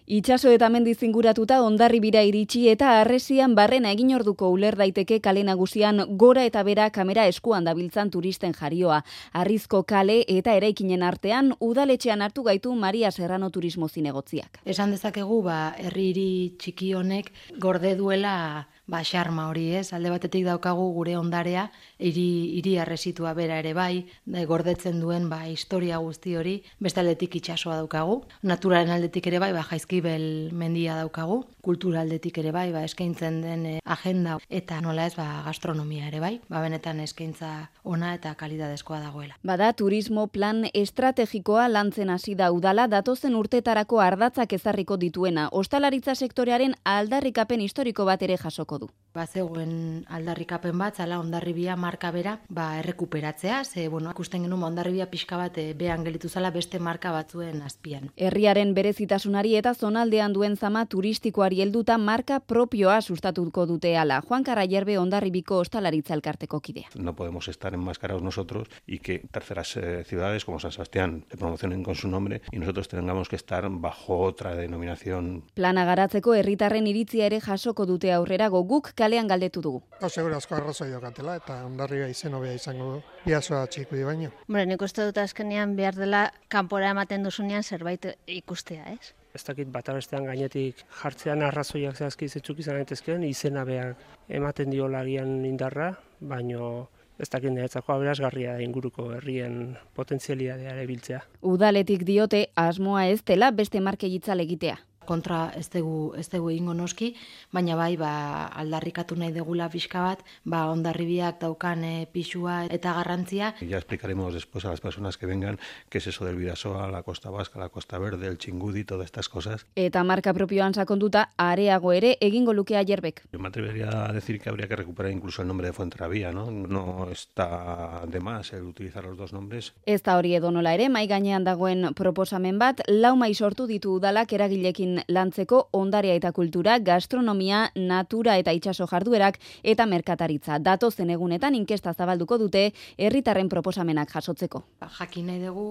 Itxaso eta mendiz inguratuta Hondarribira iritsi eta Harresian barrena egin orduko uler daiteke kale nagusian gora eta bera kamera eskuan dabiltzan turisten jarioa. Arrizko kale eta eraikinen artean udaletxean hartu gaitu Maria Serrano turismo zinegotziak. Esan dezakegu, herri hiri txiki honek gorde duela xarma hori, ez? Alde batetik daukagu gure ondarea, hiri harresitua bera ere bai, gordetzen duen historia guzti hori, beste aldetik itsasoa daukagu, naturaren aldetik ere bai, Jaizkibel mendia daukagu, kultura aldetik ere bai, eskaintzen den agenda eta nola ez, gastronomia ere bai, benetan eskaintza ona eta kalidadezkoa dagoela. Bada turismo plan estrategikoa lantzen hasi da udala datozen urtetarako ardatzak ezarriko dituena, ostalaritza sektorearen aldarrikapen historiko bat ere jasoko du. Bazegoen aldarrikapen bat, zala Hondarribia marka bera, errekuperatzea, ikusten genuen Hondarribia pixka bat behan gelitu zala beste marka batzuen azpian. Herriaren berezitasunari eta zonaldean duen zama turistikoari helduta marka propioa sustatuko dute hala. Juan Carrayerbe Hondarribiko ostalaritza elkarteko kidea. No podemos estar enmascarados nosotros y que terceras ciudades como San Sebastián se promocionen con su nombre y nosotros tengamos que estar bajo otra denominación. Plana garatzeko herritarren iritzia ere jasoko dute aurrerago guk kalean galdetu dugu. Segurazko arrazoi dokatela eta Hondarribia izen hobea izango du. Biasoa txikui baino. Nik uste dut azkenean behar dela kanpora ematen duzunean zerbait ikustea, ez? Ez dakit bata bestean gainetik jartzean arrazoiak zehazki zetzuk izan daitezkeen, izena behar ematen diolagian indarra, baino ez dakit niretzako aberasgarria inguruko herrien potentzialitatea ere biltzea. Udaletik diote asmoa ez dela beste markegitzal egitea. Kontra ez dugu egingo noski, baina bai aldarrikatu nahi degula pixka bat, Hondarribiak daukan pisua eta garrantzia. Ya explicaremos después a las personas que vengan qué es eso del Bidasoa, la Costa Vasca, la Costa Verde, el Txingudi, todas estas cosas. Eta marka propioan sakonduta areago ere egingo luke Ayerbeek. Yo me atrevería a decir que habría que recuperar incluso el nombre de Fuenterrabía, ¿no? No está de más el utilizar los dos nombres. Ez da hori edonola ere, mai gainean dagoen proposamen bat, 4 mai sortu ditu udalak eragilekin lantzeko ondarea eta kultura, gastronomia, natura eta itsaso jarduerak eta merkataritza. Datozen egunetan inkesta zabalduko dute herritarren proposamenak jasotzeko. Jakin nahi dugu,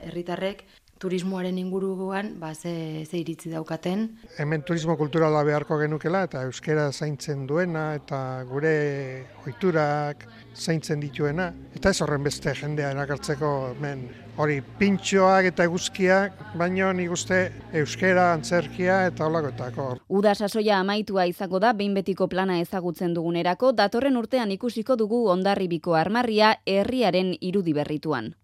herritarrek turismoaren inguruan ze iritzi daukaten. Hemen turismo kulturala beharko genukela eta euskera zaintzen duena eta gure ohiturak zaintzen dituena. Eta ez horren beste jendea erakartzeko hemen hori pintxoak eta eguzkiak, baino nik uste euskera, antzerkia eta holakoetako. Uda sasoia amaitua izango da behin betiko plana ezagutzen dugunerako, datorren urtean ikusiko dugu Hondarribiko armarria herriaren irudi berrituan.